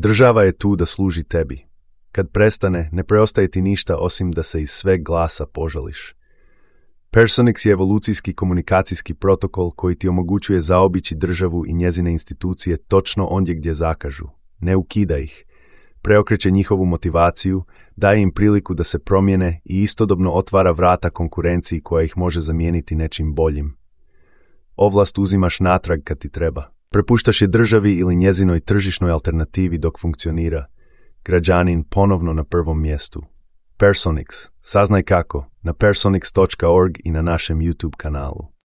Država je tu da služi tebi. Kad prestane, ne preostaje ti ništa osim da se iz sveg glasa požališ. Personix je evolucijski komunikacijski protokol koji ti omogućuje zaobići državu i njezine institucije točno ondje gdje zakažu. Ne ukida ih. Preokreće njihovu motivaciju, daje im priliku da se promijene i istodobno otvara vrata konkurenciji koja ih može zamijeniti nečim boljim. Ovlast uzimaš natrag kad ti treba. Prepuštaš je državi ili njezinoj tržišnoj alternativi dok funkcionira. Građanin ponovno na prvom mjestu. Personix. Saznaj kako na personix.org i na našem YouTube kanalu.